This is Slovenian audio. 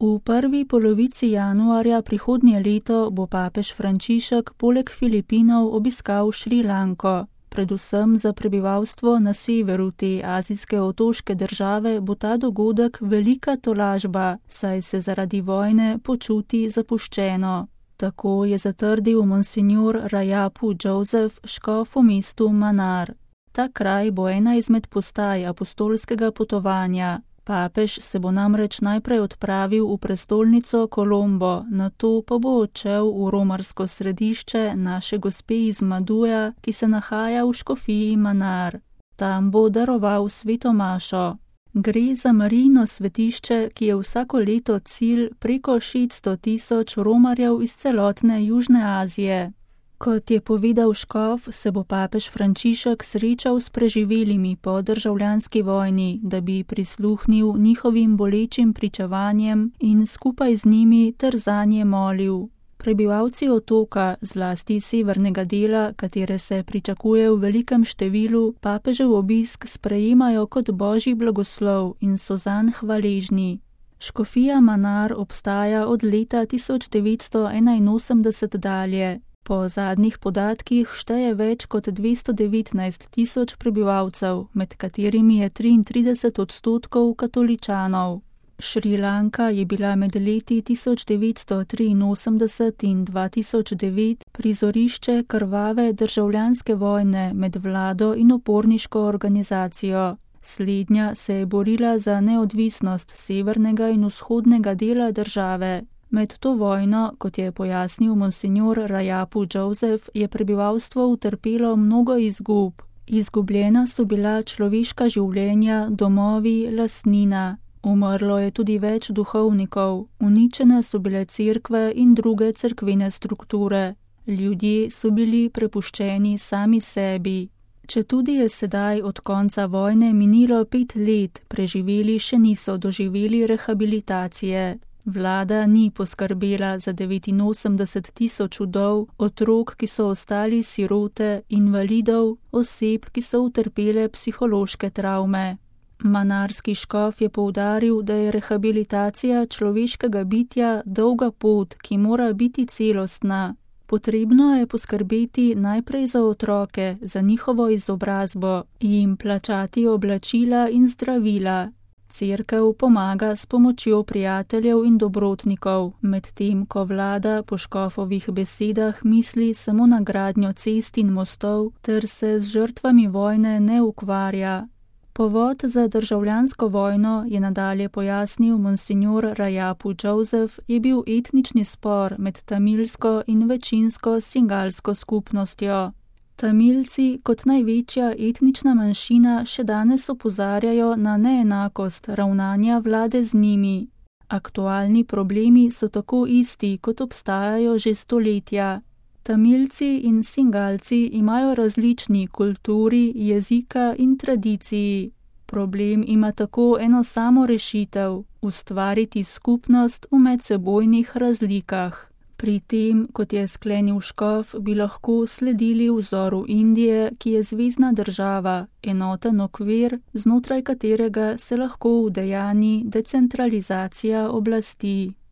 V prvi polovici januarja prihodnje leto bo papež Frančišek poleg Filipinov obiskal Šrilanko. Predvsem za prebivalstvo na severu te azijske otoške države bo ta dogodek velika tolažba, saj se zaradi vojne počuti zapuščeno. Tako je zatrdil monsignor Rajapu Joseph, škof v mestu Manar. Ta kraj bo ena izmed postaj apostolskega potovanja. Papež se bo namreč najprej odpravil v prestolnico Kolombo, nato pa bo odšel v romarsko središče Naše Gospe iz Maduja, ki se nahaja v škofiji Manar. Tam bo daroval sveto mašo. Gre za Marijino svetišče, ki je vsako leto cilj preko 600.000 romarjev iz celotne Južne Azije. Kot je povedal škof, se bo papež Frančišek srečal s preživelimi po državljanski vojni, da bi prisluhnil njihovim bolečim pričevanjem in skupaj z njimi ter zanje molil. Prebivalci otoka, zlasti severnega dela, katere se pričakuje v velikem številu, papežev obisk sprejemajo kot božji blagoslov in so zanj hvaležni. Škofija Manar obstaja od leta 1981 dalje. Po zadnjih podatkih šteje več kot 219.000 prebivalcev, med katerimi je 33% katoličanov. Šrilanka je bila med leti 1983 in 2009 prizorišče krvave državljanske vojne med vlado in uporniško organizacijo. Slednja se je borila za neodvisnost severnega in vzhodnega dela države. Med to vojno, kot je pojasnil monsignor Rajapu Joseph, je prebivalstvo utrpelo mnogo izgub. Izgubljena so bila človeška življenja, domovi, lastnina. Umrlo je tudi več duhovnikov, uničene so bile cerkve in druge cerkvene strukture. Ljudje so bili prepuščeni sami sebi. Četudi je sedaj od konca vojne minilo 5 let, preživeli še niso doživeli rehabilitacije. Vlada ni poskrbela za 89.000 vdov, otrok, ki so ostali sirote, invalidov, oseb, ki so utrpele psihološke travme. Manarski škof je poudaril, da je rehabilitacija človeškega bitja dolga pot, ki mora biti celostna. Potrebno je poskrbeti najprej za otroke, za njihovo izobrazbo, jim plačati oblačila in zdravila. Cerkev pomaga s pomočjo prijateljev in dobrotnikov, medtem ko vlada po škofovih besedah misli samo na gradnjo cest in mostov ter se z žrtvami vojne ne ukvarja. Povod za državljansko vojno, je nadalje pojasnil monsignor Rajapu Joseph, je bil etnični spor med tamilsko in večinsko singalsko skupnostjo. Tamilci kot največja etnična manjšina še danes opozarjajo na neenakost ravnanja vlade z njimi. Aktualni problemi so tako isti, kot obstajajo že stoletja. Tamilci in singalci imajo različni kulturi, jezika in tradiciji. Problem ima tako eno samo rešitev – ustvariti skupnost v medsebojnih razlikah. Pri tem, kot je sklenil škof, bi lahko sledili vzoru Indije, ki je zvezna država, enoten okvir, znotraj katerega se lahko udejanji decentralizacija oblasti.